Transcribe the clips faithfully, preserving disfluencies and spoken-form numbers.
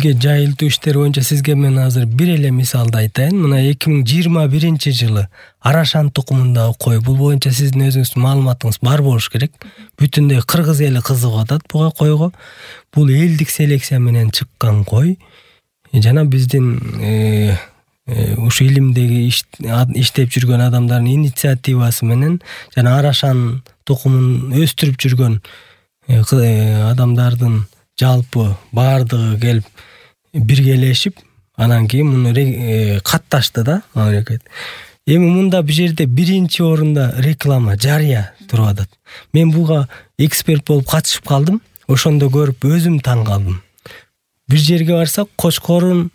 элге жайылтуу иштери боюнча сизге мен азыр бир эле мисалды айтайын. Мына эки миң жыйырма биринчи жылы Арашан тукумундагы кой, бул боюнча сиздин өзүңүздүн маалыматыңыз бар болуш керек. Бүтүндөй кыргыз эли кызыгып атат буга койго. Бул элдик селекция менен чыккан кой. Жана биздин ушу илимдеги иштеп жүргөн адамдардын инициативасы менен жана Арашан тукумун өстүрүп жүргөн адамдардын жалпы баардыгы келип биргелешип, анан кийин муну катташты да мамлекет. Эми мында бул жерде биринчи орунда реклама, жарыя туруп атат. Мен буга эксперт болуп катышып калдым. Ошондо көрүп өзүм таң калдым. Бир жерге барсак, кочкорун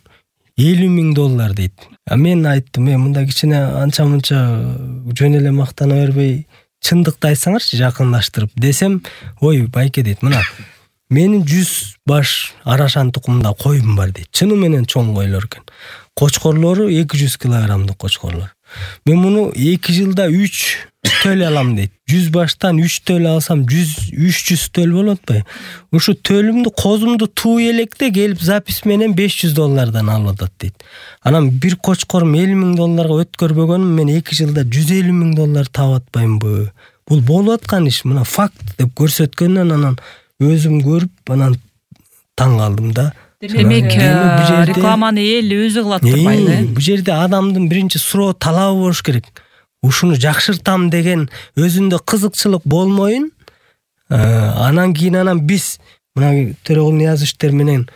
элүү миң доллар дейт. А мен айттым, мен мында кичине анча-мынча жөн эле мактана бербей, чындыкты айтсаңарчы жакындаштырып десем, ой байке дейт, мына менин жүз баш Арашан тукумунда коюм бар дейт. Чыны менен чоң койлор экен. Кочкорлору эки жүз килограммдык кочкорлор. Мен муну эки жылда үч төлө алам дейт. жүз баштан үч төлө алсам үч жүз төл болот атпайбы? Ушу төлүмдү козумду туу электе келип запись менен беш жүз доллардан алып атат дейт. Анан бир кочкорум элүү миң долларга өткөрбөгөнүм, мен эки жылда жүз элүү миң доллар таап атпаймынбы? Бул болуп аткан иш, мына факт деп көрсөткөндөн анан өзүм көрүп анан таң калдым да. Демек, рекламаны эл өзү кылат турбайбы? Бул жерде адамдын биринчи суроо талабы болуш керек. Ушуну жакшыртам деген өзүндө кызыкчылык болмоюн. Анан кийин анан биз мына Төрөгул Ниязовичтер менен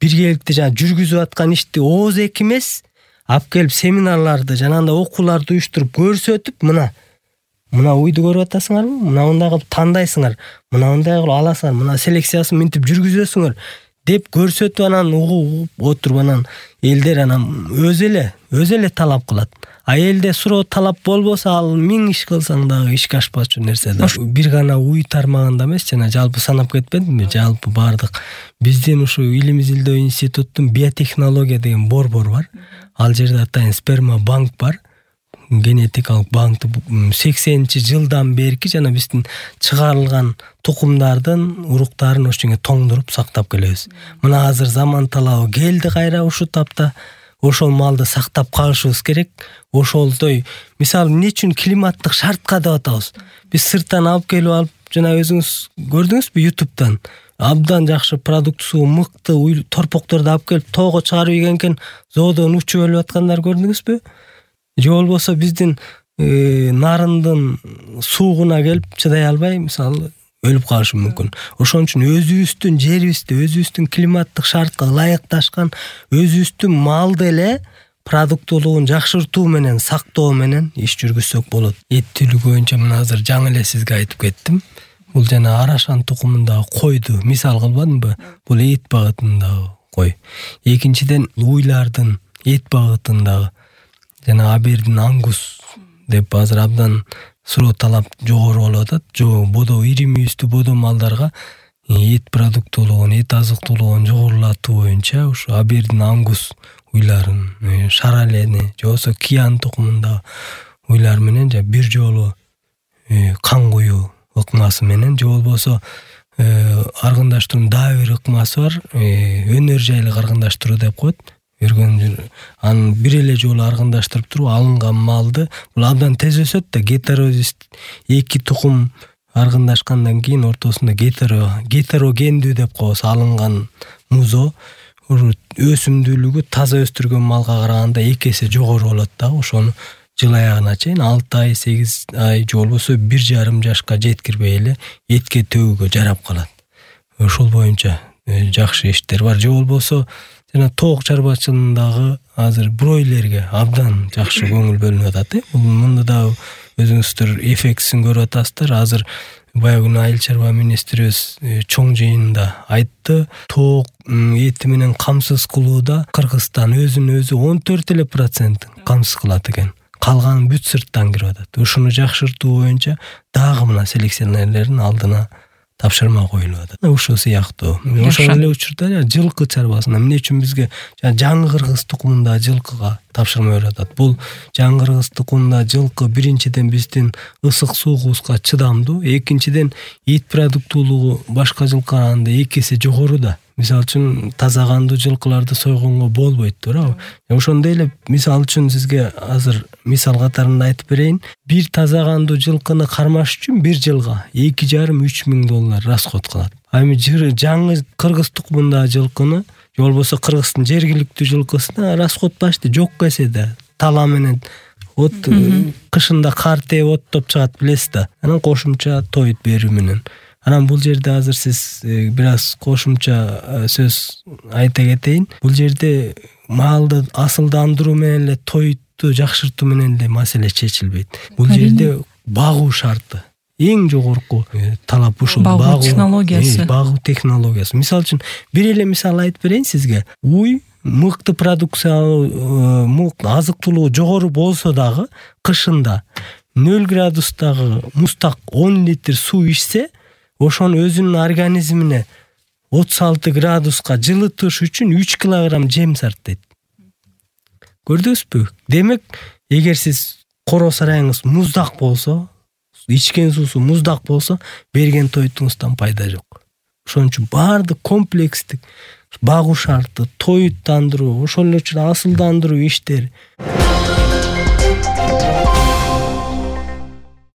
биргеликте жана жүргүзүп аткан ишти ооз эки эмес, алып келип семинарларды жана анда окууларды уюштуруп көрсөтүп, мына мына уйду көрүп атасыңарбы? Мына мындай кылып тандайсыңар, мына мындай кылып аласыңар, мына селекциясын минтип жүргүзөсүңөр деп көрсөтүп анан угуп отуруп анан элдер анан өзү эле өзү эле талап кылат. А элде суроо талап болбосо, ал миң иш кылсаң дагы ишке ашпачу нерсе да. Бир гана уй тармагында эмес, жана жалпы санап кетпедимби? Жалпы бардык биздин ушу Илим Изилдөө институттун биотехнология деген борбор бар. Ал жерде атайын сперма банк бар. Генетикалык банкты сексенинчи жылдан берки жана биздин чыгарылган тукумдардын уруктарын ошоңо тоңдуруп сактап келебиз. Мына азыр заман талабы келди кайра ушу тапта. Ошол малды сактап калышыбыз керек. Ошолдой, мисалы, эмне үчүн климаттык шартка деп атабыз? Биз сырттан алып келип алып, жана өзүңүз көрдүңүзбү ютубтан? Абдан жакшы продуктусу мыкты торпокторду алып келип тоого чыгарып ийгенкен зоодон учуп өлүп аткандар көрдүңүзбү? Же болбосо биздин нарындын суугуна келип чыдай албай, мисалы, өлүп калышы мүмкүн. Ошон үчүн өзүбүздүн жерибизди, өзүбүздүн климаттык шартка ылайыкташкан өзүбүздүн малды эле продуктуулугун жакшыртуу менен, сактоо менен иш жүргүзсөк болот. Эт түлү боюнча мына азыр жаңы эле сизге айтып кеттим. Бул жана Арашан тукумундагы койду мисал кылбадымбы? Бул эт багытындагы кой. Экинчиден, уйлардын эт багытындагы жана абердин ангус деп азыр абдан суроо талап жогору болуп атат. Жо бодо ири мүйүздүү бодо малдарга эт продуктуулугун, эт азыктуулугун жогорулатуу боюнча ушу абердин ангус уйларын, шаралени, же болбосо киян тукумундагы уйлар менен же бир жолу кан куюу ыкмасы менен, же болбосо аргындаштыруу дагы бир ыкмасы бар, өнөр жайлык аргындаштыруу деп коет. Өргөн анын бир эле жолу аргындаштырып туруп алынган малды, бул абдан тез өсөт да, гетерозис эки тукум аргындашкандан кийин ортосунда гетеро гетерогендүү деп коебуз алынган музо өсүмдүүлүгү таза өстүргөн малга караганда эки эсе жогору болот да. Ошону жыл аягына чейин алты ай, сегиз ай, же болбосо бир жарым жашка жеткирбей эле этке төгүүгө жарап калат. Ошол боюнча жакшы иштер бар. Же болбосо жана тоок чарбачылыгындагы азыр бройлерге абдан жакшы көңүл бөлүнүп атат. Бул мында да өзүңүздөр эффектисин көрүп атасыздар. Азыр баягы күнү айыл чарба министрибиз чоң жыйында айтты. Тоок эти менен камсыз кылууда Кыргызстан өзүн өзү он төрт эле процент камсыз кылат экен. Калганы бүт сырттан кирип атат. Ушуну жакшыртуу боюнча дагы мына селекционерлердин алдына тапшырма коюлуп атат. Ушул сыяктуу. Ошол эле учурда жылкы чарбасына эмне үчүн бизге жаңы Кыргыз тукумунда жылкыга тапшырма берип атат? Бул жаңы Кыргыз тукумунда жылкы биринчиден биздин ысык суугубузга чыдамдуу, экинчиден эт продуктуулугу башка жылкыга караганда эки эсе жогору да. мисалы үчүн таза кандуу жылкыларды сойгонго болбойт, туурабы? Ошондой эле мисалы үчүн сизге азыр мисал катарында айтып берейин. Бир таза кандуу жылкыны кармаш үчүн бир жылга эки жарым үч миң доллар расход кылат. А эми жаңы кыргыз тукумундагы жылкыны же болбосо Кыргыздын жергиликтүү жылкысына расход башты жок эседе. Тала менен от кышында кар тээп оттоп чыгат, билесиз да. Анан кошумча тоют берүү менен. Анан бул жерде азыр сиз бир аз кошумча сөз айта кетейин. Бул жерде малды асылдандыруу менен эле тоютту жакшыртуу менен эле маселе чечилбейт. Бул жерде багуу шарты. Эң жогорку талап ушул багуу технологиясы. Багуу технологиясы. Мисалы үчүн бир эле мисал айтып берейин сизге. Уй мыкты продукциялуу, мыкты азык-тулугу жогору болсо дагы кышында нөл градустагы мустак он литр суу ичсе, ошону өзүнүн организмине отуз алты градуска жылытыш үчүн үч килограмм жем сарптайт. Көрдүңүзбү? Демек, эгер сиз коро сарайыңыз муздак болсо, ичкен суусу муздак болсо, берген тоютуңуздан пайда жок. Ошон үчүн баардык комплекстик багуу шарты, тоюттандыруу, ошол эле үчүн асылдандыруу иштери